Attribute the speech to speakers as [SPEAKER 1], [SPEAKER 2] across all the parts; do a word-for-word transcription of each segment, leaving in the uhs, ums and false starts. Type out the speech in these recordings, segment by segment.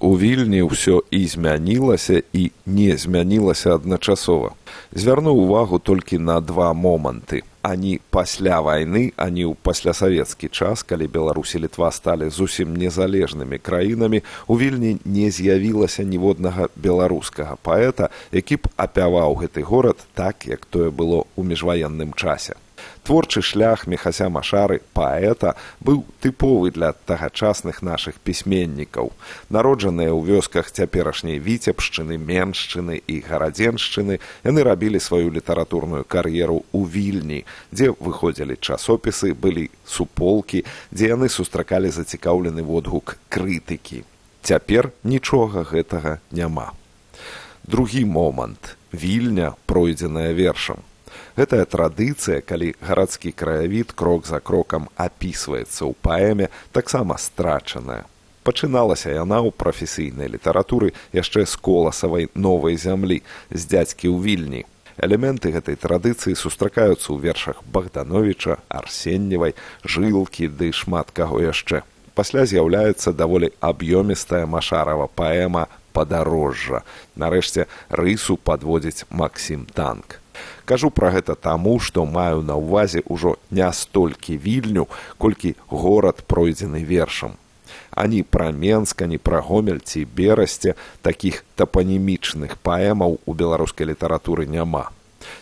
[SPEAKER 1] У Вільні ўсё і змянілася, і не змянілася адначасова. Звярну ўвагу толькі на два моманты. Ані пасля вайны, ані ў паслясавецкі час, калі Беларусь і Літва сталі зусім незалежнымі краінамі, у Вільні не з'явілася ніводнага беларускага паэта, які б апяваў гэты горад так, як тое было ў міжваенным часе. Творчы шлях Міхася Машары, паэта, быў тыповы для тагачасных нашых пісьменнікаў. Народжаныя ў вёсках цяперашняй Віцебшчыны, Меншчыны і Гарадзеншчыны, яны рабілі сваю літаратурную кар'еру ў Вільні, дзе выходзілі часопісы, былі суполкі, дзе яны сустракалі зацікаўлены водгук крытыкі. Цяпер нічога гэтага няма. Другі момант. Вільня, пройдзеная вершам. Гэтая традыцыя, калі гарадскі краявід крок за крокам апісваецца ў паэме, таксама страчаная. Пачыналася яна ў прафесійнай літаратуры яшчэ з Коласавай «Новай зямлі», з дзядзькі ў Вільні. Элементы гэтай традыцыі сустракаюцца ў вершах Богдановича, Арсеньевай, Жылкі ды шмат каго яшчэ. Пасля з'яўляецца даволі аб'ёмістая Машарава паэма «Падарожжа». Нарэшце рысу падводзіць Максім Танк. Кажу пра гэта таму, што маю на ўвазе ўжо не столькі Вільню, колькі горад, пройдзены вершам. Ані пра Менск, ані пра Гомель ці Берасце такіх тапанімічных паэмаў у беларускай літаратуры няма.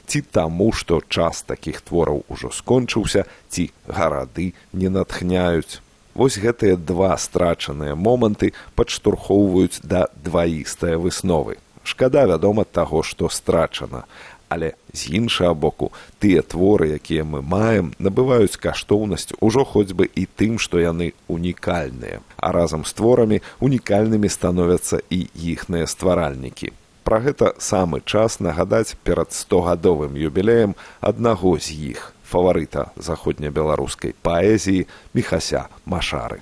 [SPEAKER 1] Ці таму, што час такіх твораў ужо скончыўся, ці гарады не натхняюць. Вось гэтыя два страчаныя моманты падштурхоўваюць да дваістае высновы. Шкада, вядома, таго, што страчана. Але з іншага боку, тыя творы, якія мы маем, набываюць каштоўнасць ужо хоць бы і тым, што яны унікальныя. А разам з творамі унікальнымі становяцца і іхныя стваральнікі. Пра гэта самы час нагадаць перад стогадовым юбілеем аднаго з іх, фаварыта заходнебеларускай паэзіі Міхася Машары.